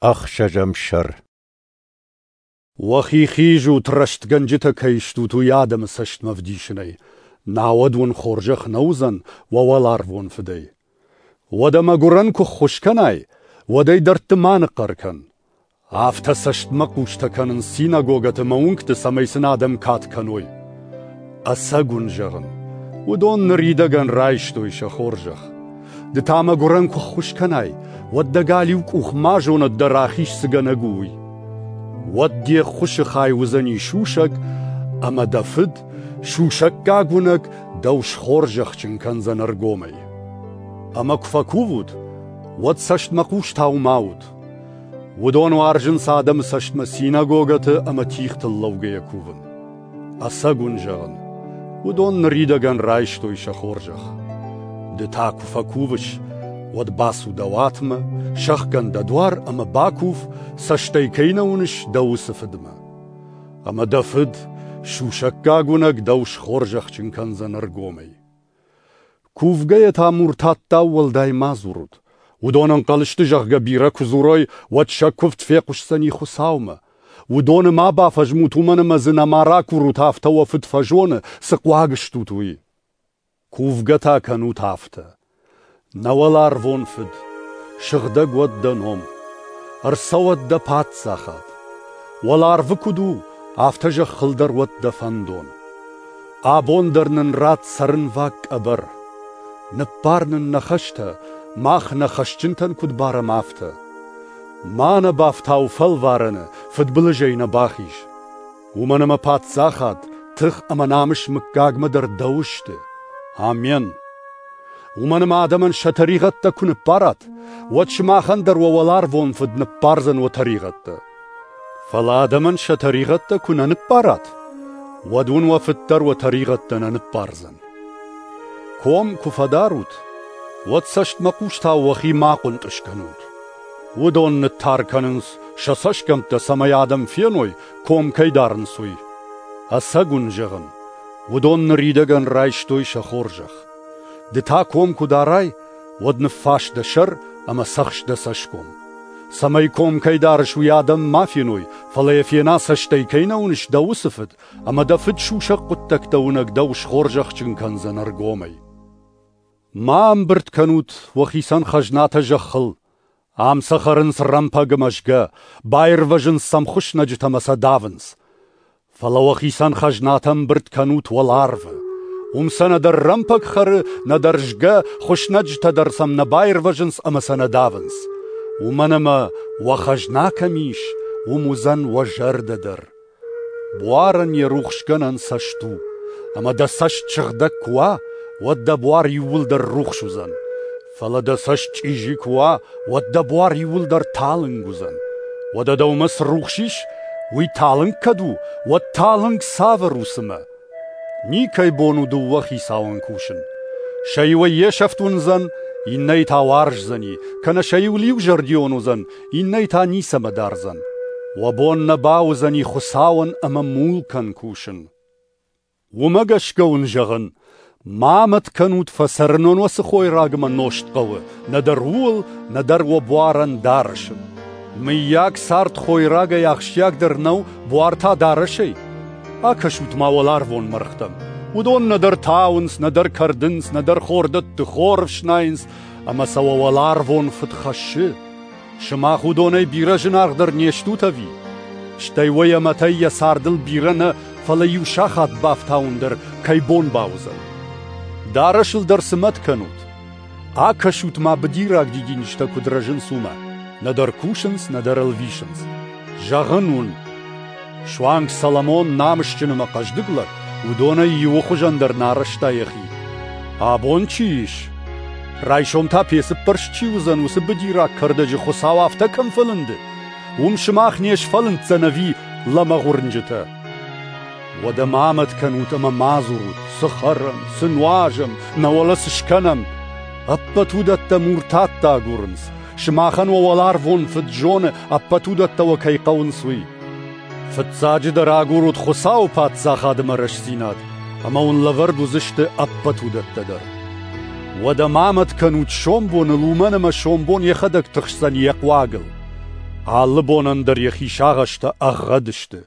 Ӕхсӕзӕм сӕр. Уӕхи хизут, рӕстгӕнджытӕ кӕй стут, уый адӕмы цӕстмӕ вдисынӕй, науӕд уын хорзӕх нӕ уыдзӕн уӕ уӕларвон Фыдӕй. Уӕдӕ мӕгуырӕн куы ххуыс кӕнай, уӕд ӕй дӕрдты ма ныхъхъӕр кӕн. Афтӕ цӕстмӕхъустӕ кӕнынц синагогӕты мӕ уынгты, цӕмӕй сын адӕм кад кӕной. Ӕцӕг уын зӕгъын, уыдон ныридӕгӕн райстой сӕ хорзӕх. Ды та мӕгуырӕн куы ххуыс кӕнай, уӕд дӕ галиу къух ма зонӕд дӕ рахиз цыгӕнӕг у, уый. Уӕд де ххуысы хай уыдзӕни сусӕг, ӕмӕ дӕ фыд, сусӕггаг уынӕг, дӕу схорзӕхджын кӕндзӕн ӕргомӕй. Ӕмӕ куы фӕкувут, уӕд цӕстмӕхъустау ма ут. Уыдон уарзынц адӕмы цӕстмӕ синагогӕты ӕмӕ тигътыл лӕугӕйӕ кувын. Ӕцӕг уын зӕгъын, уыдон ныридӕгӕн райстой сӕ хорзӕх. Ды та куы фӕкувыс, уӕд бацу дӕ уатмӕ, сӕхгӕн дӕ дуар ӕмӕ бакув, цӕстӕй кӕй нӕ уыныс, дӕ уыцы фыдмӕ. Ӕмӕ дӕ фыд, сусӕггаг уынӕг, дӕу схорзӕхджын кӕндзӕн ӕргомӕй. Кувгӕйӕ та муртаттау уӕлдай ма дзурут. Уыдон ӕнхъӕл сты, зӕгъгӕ, бирӕ куы дзурой, уӕд сӕ куывд фехъуысдзӕни Хуыцаумӕ. Уыдоны ма бафӕзмут, уымӕн ӕмӕ дзы нӕма ракурут, афтӕ уӕ фыд фӕзоны, цы хъуаг стут, уый. Кувгӕ та кӕнут афтӕ: Нӕ уӕларвон Фыд, сыгъдӕг уӕд дӕ ном, ӕрцӕуӕд дӕ паддзахад. Уӕларвы куыд у, афтӕ зӕххыл дӕр уӕд дӕ фӕндон. Абон дӕр нын ратт цӕрынваг къӕбӕр. Ныппар нын нӕ хӕстӕ, мах нӕ хӕсджынтӕн куыд барӕм, афтӕ. Ма нӕ бафтау фӕлварӕны, фыдбылызӕй нӕ бахиз. Уымӕн ӕмӕ паддзахад, тых ӕмӕ намыс мыггагмӕ дӕр дӕу сты. Амен. Уымӕн ӕмӕ адӕмӕн сӕ тӕригъӕдтӕ куы ныппарат, уӕд сымахӕн дӕр уӕ уӕларвон Фыд ныппардзӕн уӕ тӕригъӕдтӕ. Фӕлӕ адӕмӕн сӕ тӕригъӕдтӕ куы нӕ ныппарат, уӕд уын уӕ Фыд дӕр уӕ тӕригъӕдтӕ нӕ ныппардзӕн. Ком куы фӕдарут, уӕд цӕстмӕхъустау уӕхи ма хъуынтъыз кӕнут. Уыдон ныттар кӕнынц сӕ цӕсгӕмттӕ, цӕмӕй адӕм феной, ком кӕй дарынц, уый. Ӕцӕг уын зӕгъын, уыдон ныридӕгӕн райстой сӕ хорзӕх. Ды та ком куы дарай, уӕд ныффас дӕ сӕр ӕмӕ цӕхс дӕ цӕсгом. Цӕмӕй ком кӕй дарыс, уый адӕм ма феной, фӕлӕ йӕ фена цӕстӕй кӕй нӕ уыныс дӕ уыцы фыд, ӕмӕ дӕ фыд сусӕг хъуыддӕгтӕ уынӕг дӕу схорзӕхджын кӕндзӕн ӕргомӕй. Ма ӕмбырд кӕнут уӕхицӕн хӕзнатӕ зӕххыл. Ам сӕ хӕрынц рӕмпӕг ӕмӕ згӕ, баирвӕзынц сӕм хуыснӕджытӕ ӕмӕ сӕ давынц. Фӕлӕ уӕхицӕн хӕзнатӕ ӕмбырд кӕнут уӕларвы. Уым сӕ нӕдӕр рӕмпӕг хӕры, нӕдӕр згӕ, хуыснӕджытӕ дӕр сӕм нӕ баирвӕзынц ӕмӕ сӕ нӕ давынц. Уымӕн ӕмӕ уӕ хӕзна кӕм ис, уым уыдзӕн уӕ зӕрдӕ дӕр. Буарӕн йӕ рухсгӕнӕн цӕст у, ӕмӕ дӕ цӕст сыгъдӕг куы уа, уӕд дӕ буар иууылдӕр рухс уыдзӕн. Фӕлӕ дӕ цӕст чъизи куы уа, уӕд дӕ буар иууылдӕр талынг уыдзӕн. Уӕдӕ дӕумӕ цы рухс ис, уый талынг кӕд у, уӕд талынг цавӕр у цымӕ? Никӕй бон у дыууӕ хицауӕн кусын. Сӕ иуӕй йе сӕфт уындзӕн, иннӕйы та уарздзӕни, кӕнӕ сӕ иуыл иузӕрдион уыдзӕн, иннӕйы та ницӕмӕ дардзӕн. Уӕ бон нӕ бауыдзӕни Хуыцауӕн ӕмӕ мулкӕн кусын. Уымӕ гӕсгӕ уын зӕгъын, ма мӕт кӕнут, фӕцӕрынон уӕ цы хойраг ӕмӕ нозт хъӕуы, нӕдӕр ууыл, нӕдӕр уӕ буарӕн дарӕсы. Мыййаг, цард хойрагӕй ахсджиагдӕр нӕу, буар та дарӕсӕй? Акӕсут-ма уӕларвон мӕргътӕм. Уыдон нӕдӕр тауынц, нӕдӕр кӕрдынц, нӕдӕр хордӕтты хор ӕфснайынц, ӕмӕ сӕ уӕ уӕларвон фыд хӕссы. Сымах уыдонӕй бирӕ зынаргъдӕр не стут ӕви? Стӕй уӕ йӕ мӕтӕй йӕ цардыл бирӕ нӕ, фӕлӕ иу сахат бафтауын дӕр кӕй бон бауыдзӕн. Дарӕсыл дӕр цы мӕт кӕнут? Акӕсут-ма быдираг дидинджытӕ куыд рӕзынц, уымӕ. Нӕдӕр кусынц, нӕдӕр ӕлвисынц. Зӕгъын уын, суанг Соломон намысджын ӕмӕ хъӕздыг лӕг, уыдонӕй иуы хуызӕн дӕр нӕ арӕзта йӕхи. Абон чи ис, райсом та пецы ппӕрст чи уыдзӕн, уыцы быдираг кӕрдӕджы Хуыцау афтӕ кӕм фӕлынды, уым сымах не сфӕлынддзӕн ӕви лӕмӕгъ уырнджытӕ? Уӕдӕ ма мӕт кӕнут ӕмӕ ма дзурут, цы хӕрӕм, цы нуазӕм, нӕ уӕлӕ цы скӕнӕм. Ӕппӕт уыдӕттӕ муртаттӕ агурынц. Сымахӕн уӕ уӕларвон Фыд зоны, ӕппӕт уыдӕттӕ уӕ кӕй хъӕуынц, уый. Фыццаджыдӕр агурут Хуыцауы паддзахады ӕмӕ рӕстдзинад, ӕмӕ уын лӕвӕрд уыдзысты ӕппӕт уыдӕттӕ дӕр. Уӕдӕ ма мӕт кӕнут сомбоныл, уымӕн ӕмӕ сомбон йӕхӕдӕг тыхсдзӕн йӕ хъуагыл. Алы бонӕн дӕр йӕхи сагъӕстӕ ӕгъгъӕд сты.